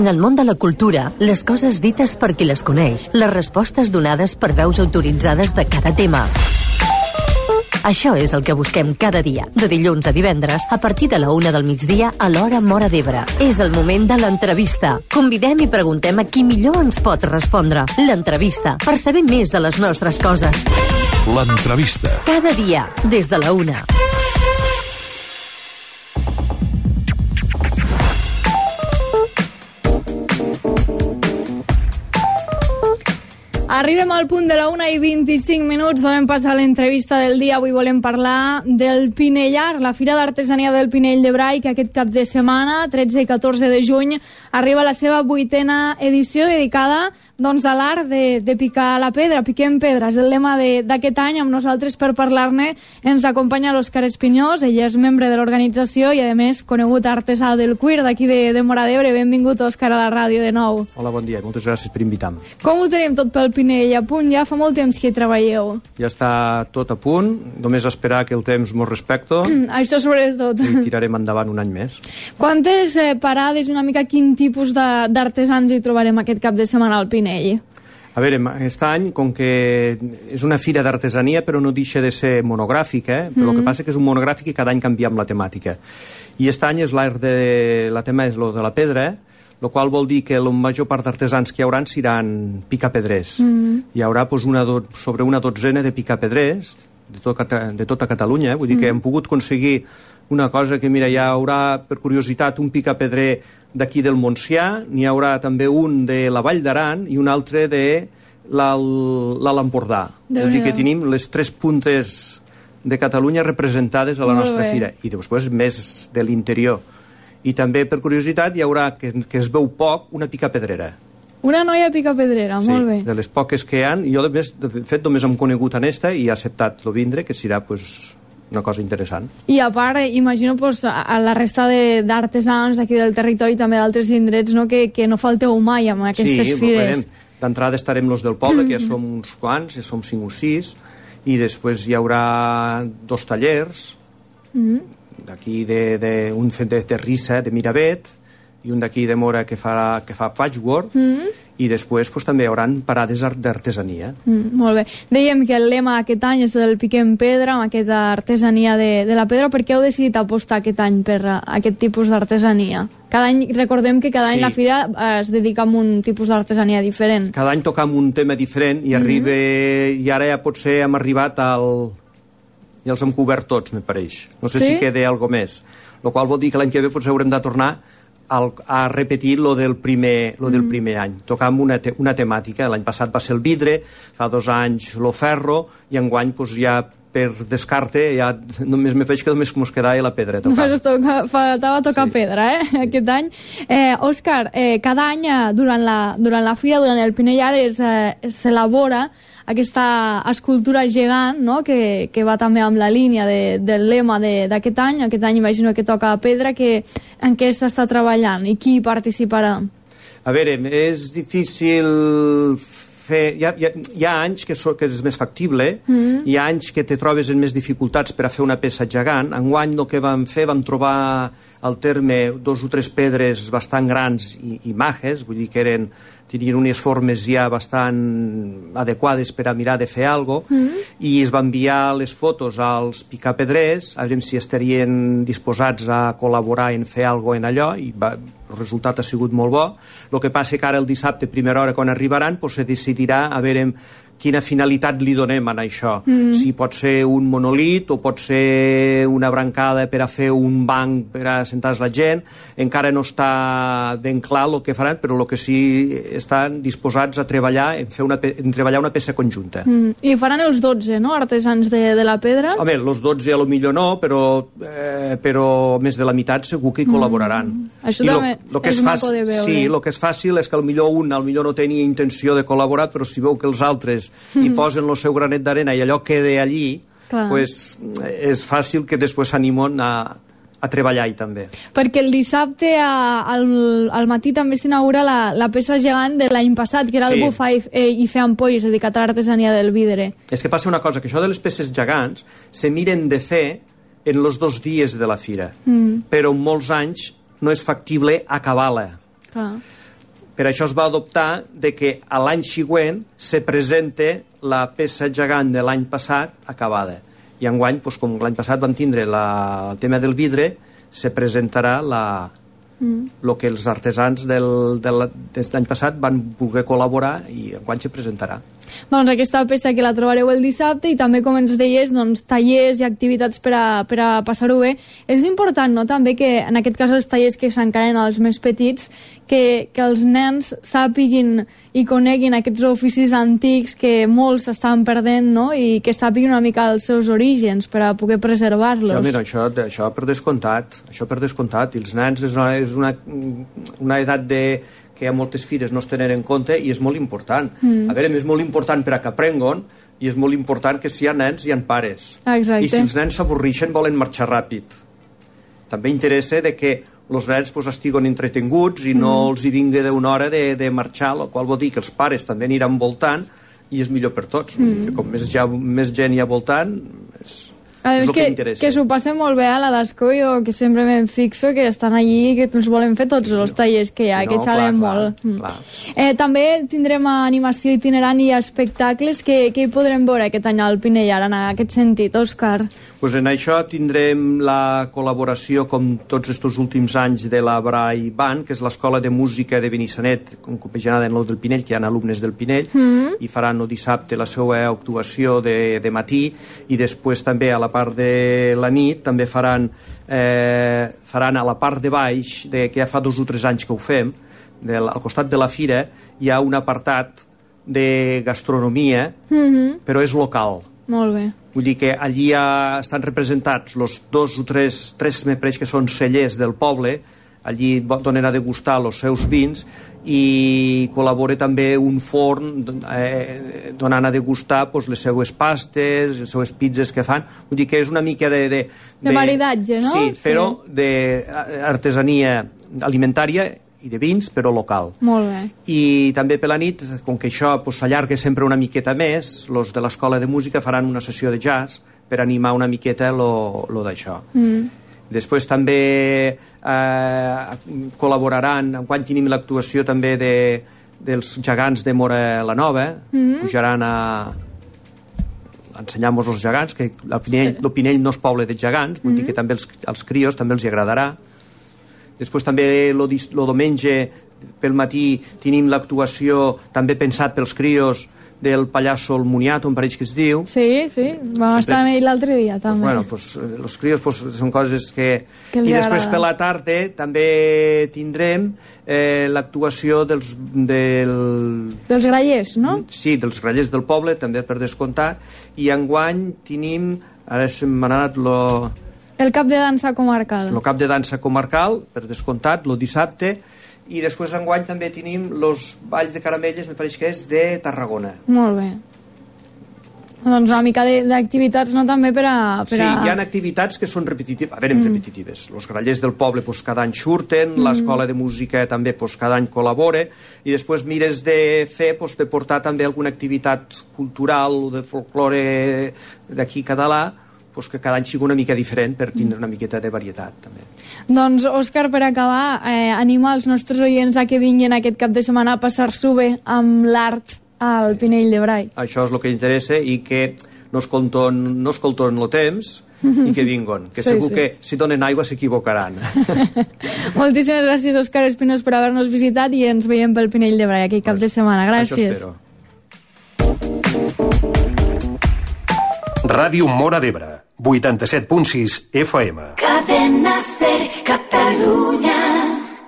En el món de la cultura, les coses dites per qui les coneix, les respostes donades per veus autoritzades de cada tema. Això és el que busquem cada dia, de dilluns a divendres, a partir de la 1 del migdia a l'hora Móra d'Ebre. És el moment de l'entrevista. Convidem i preguntem a qui millor ens pot respondre. L'entrevista, per saber més de les nostres coses. L'entrevista. Cada dia, des de la 1. Arribem al punt de la 1:25, donem pas a l'entrevista del dia. Avui volem parlar del Pinellar, la Fira d'Artesania del Pinell de Brai, que aquest cap de setmana, 13 i 14 de juny, arriba a la seva 8ª edició dedicada a l'art de picar la pedra, piquem pedra. És el lema d'aquest any. Amb nosaltres per parlar-ne ens acompanya l'Òscar Espinyós. Ell és membre de l'organització i, a més, conegut artesà del cuir d'aquí de Móra d'Ebre. Benvingut, Òscar, a la ràdio de nou. Hola, bon dia. Moltes gràcies per invitar-me. Com ho tenim tot pel Pinell? A punt? Ja fa molt temps que hi treballeu. Ja està tot a punt. Només esperar que el temps mos respecto. Això sobretot. I tirarem endavant un any més. Quantes parades, una mica quin tipus d'artesans hi trobarem aquest cap de setmana al Pinell? A veure, aquest any, com que és una fira d'artesania, però no deixa de ser monogràfica, però el que passa que és un monogràfic i cada any canviem la temàtica. I aquest any és la tema és lo de la pedra, el qual vol dir que la major part d'artesans que hi haurà seran picapedrers. Hi haurà sobre una dotzena de picapedrers de tota Catalunya. Vull dir que hem pogut aconseguir una cosa que, mira, hi haurà, per curiositat, un picapedrer d'aquí del Montsià, n'hi haurà també un de la Vall d'Aran i un altre de l'Alt Empordà. Vull dir que tenim les 3 puntes de Catalunya representades a la nostra fira. I després més de l'interior. I també, per curiositat, hi haurà, que es veu poc, una picapedrera. Una noia picapedrera, molt bé. Sí, de les poques que hi ha. Jo, de fet, només hem conegut en esta i he acceptat el vindre, que serà una cosa interessant. I a part, imagino a la resta d'artesans d'aquí del territori, també d'altres indrets, que no falteu mai amb aquestes fires. Sí, d'entrada estarem los del poble, que ja som uns quants, ja som 5 o 6, i després hi haurà 2 tallers, d'aquí un fet de Terrissa, de Miravet, i un d'aquí de Mora que fa patchwork, i després també hi haurà parades d'artesania. Molt bé. Dèiem que el lema aquest any és el piquem pedra, amb aquesta artesania de la pedra. Per què heu decidit apostar aquest any per aquest tipus d'artesania? Cada any, recordem que cada any la fira es dedica a un tipus d'artesania diferent. Cada any tocam un tema diferent i ara ja potser hem arribat ja els hem cobert tots, me pareix. No sé si queda alguna més. El qual vol dir que l'any que ve potser haurem de tornar a repetir lo del primer any. Tocam una temàtica. L'any passat va ser el vidre, fa 2 anys lo ferro, i enguany ja per descarte ja només me veig que només mos quedava la pedra a tocar. Faltava tocar pedra, aquest any. Òscar, cada any durant la fira, durant el Pinellar, s'elabora aquesta escultura gegant, que va també amb la línia del lema d'aquest any. Aquest any imagino que toca pedra. En què s'està treballant i qui hi participarà? A veure, és difícil fer... Hi ha anys que és més factible, hi ha anys que te trobes en més dificultats per a fer una peça gegant. Enguany el que vam fer, vam trobar al terme 2 o 3 pedres bastant grans i majes, vull dir que tenien unes formes ja bastant adequades per a mirar de fer alguna cosa, i es va enviar les fotos als picapedrers a veure si estarien disposats a col·laborar en fer alguna cosa en allò, i el resultat ha sigut molt bo. El que passa que ara el dissabte, primera hora, quan arribaran, se decidirà a veure quina finalitat li donem a això. Si pot ser un monolit o pot ser una brancada per a fer un banc per a sentar-se la gent. Encara no està ben clar el que faran, però el que sí estan disposats a treballar en treballar una peça conjunta. I faran els 12, no?, artesans de la pedra? Home, els 12 a lo millor no, però més de la meitat segur que hi col·laboraran. Això també és maco de veure. Sí, el que és fàcil és que potser un no tenia intenció de col·laborar, però si veu que els altres i posen el seu granet d'arena i allò queda allí, és fàcil que després s'animen a treballar-hi també. Perquè el dissabte al matí també s'inaugura la peça gegant de l'any passat, que era el bufar i fer ampolles, dedicat a l'artesania del vidre. És que passa una cosa, que això de les peces gegants se miren de fer en els 2 dies de la fira, però en molts anys no és factible acabar-la. Per això es va adoptar de que a l'any següent se presente la peça gegant de l'any passat acabada. I enguany, doncs, com l'any passat vam tindre el tema del vidre, se presentarà el que els artesans de l'any passat van voler col·laborar i enguany se presentarà. Doncs aquesta peça que la trobareu el dissabte i també, com ens deies, doncs, tallers i activitats per a passar-ho bé. És important, no?, també que en aquest cas els tallers que s'encaren als més petits, que els nens sàpiguin i coneguin aquests oficis antics que molts estan perdent, no?, i que sàpiguin una mica els seus orígens per a poder preservar-los. Sí, mira, això per descomptat. I els nens és una edat que a moltes fires no es tenen en compte i és molt important. A veure, és molt important per a que aprenguin i és molt important que si hi ha nens hi ha pares. Exacte. I si els nens s'avorreixen volen marxar ràpid. També interessa de que els nens estiguin entretinguts i no els hi vingui d'una hora de marxar, el qual vol dir que els pares també aniran voltant i és millor per tots. Com més gent hi ha voltant, és el que interessa. Que s'ho passen molt bé a la d'Ascó, jo que sempre me'n fixo que estan allí, que els volen fer tots els tallers que hi ha, que xalen molt. També tindrem animació itinerant i espectacles que hi podrem veure aquest any al Pinellar, en aquest sentit, Òscar. Pues en això tindrem la col·laboració, com tots aquests últims anys, de la Brai Band, que és l'Escola de Música de Benissanet, compaginada en del Pinell, que hi ha alumnes del Pinell, i faran el dissabte la seva actuació de matí, i després també a la part de la nit també faran a la part de baix, que ja fa 2 o 3 anys que ho fem, al costat de la fira hi ha un apartat de gastronomia, però és local. Molt bé. Vull dir que allí estan representats els 2 o 3 me pareix que són cellers del poble, allí donen a degustar els seus vins i col·labora també un forn donant a degustar les seues pastes, les seues pizzas que fan. Vull dir que és una mica de maridatge, no? Sí, però d'artesania alimentària i de vins, però local. Molt bé. I també per la nit, com que això s'allarga sempre una miqueta més, els de l'Escola de Música faran una sessió de jazz per animar una miqueta lo d'això. Després també col·laboraran, quan tenim l'actuació també dels gegants de Móra la Nova, pujaran a ensenyar-nos els gegants, que el Pinell no és poble de gegants, vull dir que també als crios també els agradarà. Després també el diumenge pel matí tenim l'actuació també pensat pels crios del pallasso El Moniato, em pareix que es diu. Sí, vam estar amb ell l'altre dia també. Els crios són coses que I després per la tarda també tindrem l'actuació dels grallers, no? Sí, dels grallers del poble, també per descomptat, i enguany tenim, ara se m'ha anat el cap de dansa comarcal. El cap de dansa comarcal, per descomptat, el dissabte, i després enguany també tenim els balls de caramelles, me pareix que és de Tarragona. Molt bé. Doncs una mica d'activitats, no?, també per a... Sí, hi ha activitats que són repetitives. A veure, repetitives. Els grallers del poble cada any surten, l'Escola de Música també cada any col·labora, i després mires de fer, de portar també alguna activitat cultural o de folklore d'aquí català, que cada any sigui una mica diferent per tindre una miqueta de varietat també. Doncs, Òscar, per acabar, anima els nostres oients a que vinguin aquest cap de setmana a passar-s'ho bé amb l'art al Pinell de Brai. Això és el que interessa, i que no escolten el temps i que vinguin, que segur que si donen aigua s'equivocaran. Moltíssimes gràcies, Òscar Espinós, per haver-nos visitat, i ens veiem pel Pinell de Brai aquest cap de setmana. Gràcies. Això espero. Ràdio Móra d'Ebre, 87.6 FM. Cadena Ser, Catalunya.